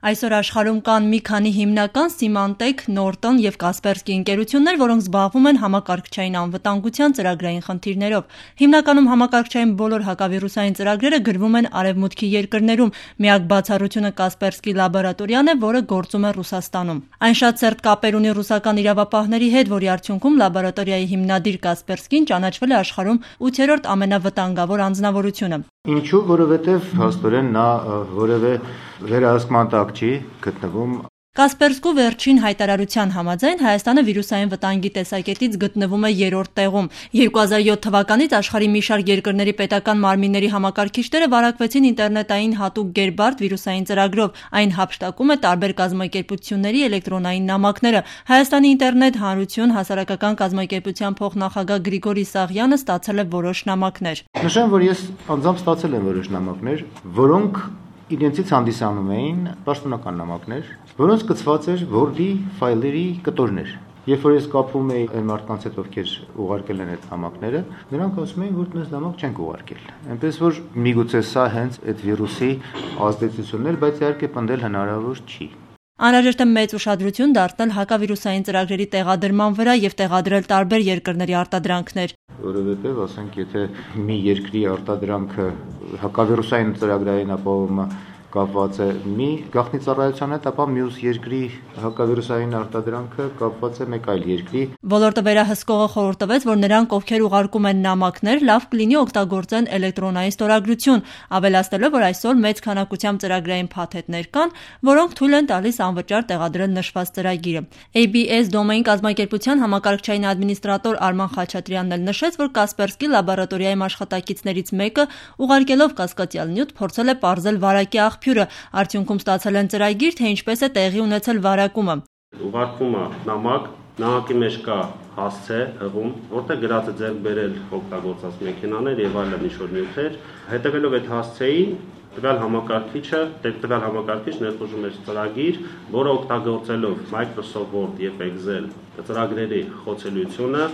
Այսօր աշխարհում կան մի քանի հիմնական Symantec, Norton և Kaspersky ընկերություններ, որոնք զբաղվում են համակարգչային անվտանգության ծրագրային խնդիրներով։ Հիմնականում համակարգչային բոլոր հակավիրուսային ծրագրերը գրվում են Արևմուտքի երկրներում։ Միակ բացառությունը Kaspersky լաբորատորիան է, որը գործում է Ռուսաստանում։ Այն շատ սերտ կապեր ունի ռուսական իրավապահների հետ, որի արդյունքում լաբորատորիայի հիմնադիր Kaspersky-ն ճանաչվել է աշխարհում 8-րդ ամենավտանգավոր անձնավորությունը։ Ինչու, որովհետև հաստորեն նա որևէ վերահսկման տակ չի գտնվում։ Kaspersky վերջին հայտարարության համաձայն Հայաստանը վիրուսային վտանգի տեսակետից գտնվում է 3-րդ տեղում։ 2007 թվականից աշխարհի մի շարք երկրների պետական մարմինների համակարգիչները վարակվեցին ինտերնետային հատուկ Gepard վիրուսային ծրագրով։ Այն հափշտակում է տարբեր կազմակերպությունների էլեկտրոնային նամակները։ Հայաստանի ինտերնետ հանրություն հասարակական կազմակերպության փոխնախագահ Գրիգորի Սաղյանը ստացել է որոշ նամակներ։ Նշեմ, որ ես անձամբ ստացել եմ որոշ նամակներ, որոնք իրենցից հանդիսանում էին պաշտոնական նամակներ, որոնց կցված էր Word-ի ֆայլերի կտորներ։ Երբ որ ես կապվում էի այն մարդկանց հետ, ովքեր ուղարկել են այդ նամակները, նրանք ասում էին, որ դες նամակ չենք ուղարկել։ Այնպես որ միգուցե սա հենց այդ վիրուսի ազդեցությունն էր, բայց իհարկե պնդել հնարավոր չի։ Անհրաժեշտ է մեծ ուշադրություն դարձնել հակավիրուսային ծրագրերի տեղադրման վրա և տեղադրել տարբեր երկրների արտադրանքներ։ Որովհետև, ասենք, եթե մի երկրի արտադրանքը հակավիրուսային ծրագրային ապահովումը կապված է մի գաղտնի ծառայության հետ, ապա մյուս երկրի հակավիրուսային արտադրանքը կապված է մեկ այլ երկրի։ Ոլորտը վերահսկողը խորհուրդ տվեց, որ նրանք, ովքեր ուղարկում են նամակներ, լավ կլինի օգտագործեն էլեկտրոնային ստորագրություն, ավելացնելով, որ այսօր մեծ քանակությամբ ծրագրային փաթեթներ կան, որոնք թույլ են տալիս անվճար տեղադրել նշված ծրագիրը։ ABS դոմեին կազմակերպության համակարգչային ադմինիստրատոր Արման Խաչատրյանն էլ նշեց, որ Kaspersky լաբորատորիայում աշխատակիցներից մեկը ուղարկելով կասկածյալ նյութ փորձել է պարզել վարակի աղբյուրը, արդյունքում ստացել են ծրագիր, թե ինչպես է տեղի ունեցել վարակումը։ Ուղարկվում է նամակի մեջ կա հասցե, հղում, որտեղ գրած է ձեռք բերել օգտագործած մեքենաներ եւ այլն ինչ-որ նյութեր, հետևելով այդ հասցեին տվյալ համակարգիչ ներխուժում է ծրագիր, որը օգտագործելով Microsoft Word եւ Excel ծրագրերի խոցելիությունը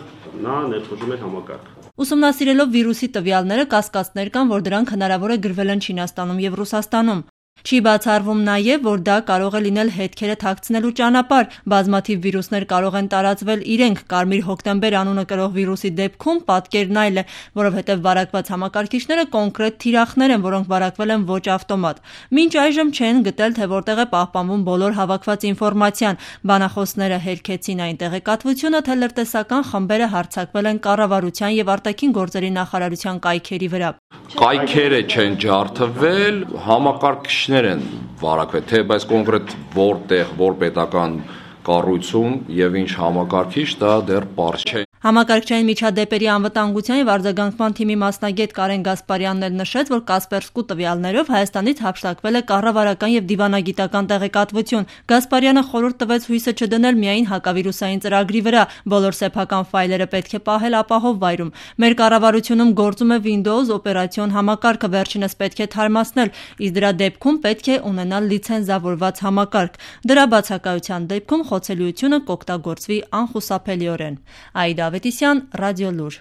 նա ներխուժում է համակարգ։ Ուսումնասիրելով վիրուսի տվյալները, կասկածներ կան, որ դրանք հնարավոր է գրվել են Չինաստանում և Ռուսաստանում։ Չի բացառվում նաև, որ դա կարող է լինել հետքերը թաքցնելու ճանապարհ։ Բազմաթիվ վիրուսներ կարող են տարածվել իրենք։ Կարմիր հոկտեմբեր անունը կրող վիրուսի դեպքում պատկերն այլ է, որովհետև վարակված համակարգիչները կոնկրետ թիրախներ են, որոնք վարակվել են ոչ ավտոմատ։ Մինչ այժմ չեն գտել, թե որտեղ է պահպանվում բոլոր հավաքված ինֆորմացիան։ Բանախոսները հերքեցին այն տեղեկատվությունը, թե լրտեսական խմբերը հարձակվել են կառավարության և արտաքին գործերի նախարարության կայքերի վրա։ Կայքերը չեն ջարդվել, համակարգիչներ են վարակվել, թե բայց կոնկրետ որտեղ, որ պետական կառույցում եւ ինչ համակարգիչ դա դեռ պարզ չէ։ Համակարգչային միջադեպերի անվտանգության և արձագանքման թիմի մասնագետ Կարեն Գասպարյանն էլ նշեց, որ Kaspersky տվյալներով Հայաստանից հափշտակվել է կառավարական և դիվանագիտական տեղեկատվություն։ Գասպարյանը խորհուրդ տվեց հույսը չդնել միայն հակավիրուսային ծրագրի վրա, բոլոր սեփական ֆայլերը պետք է պահել ապահով վայրում։ Մեր կառավարությունում գործում է Windows օպերացիոն համակարգը, վերջինս պետք է թարմացնել, իսկ դրա դեպքում պետք է ունենալ լիցենզավորված համակարգ։ Դրա բացակայության դեպքում խոցելիությունը կօգտագործվի անխուսափելիորեն։ Այդա Ավետիսյան, Ռադիոլուր։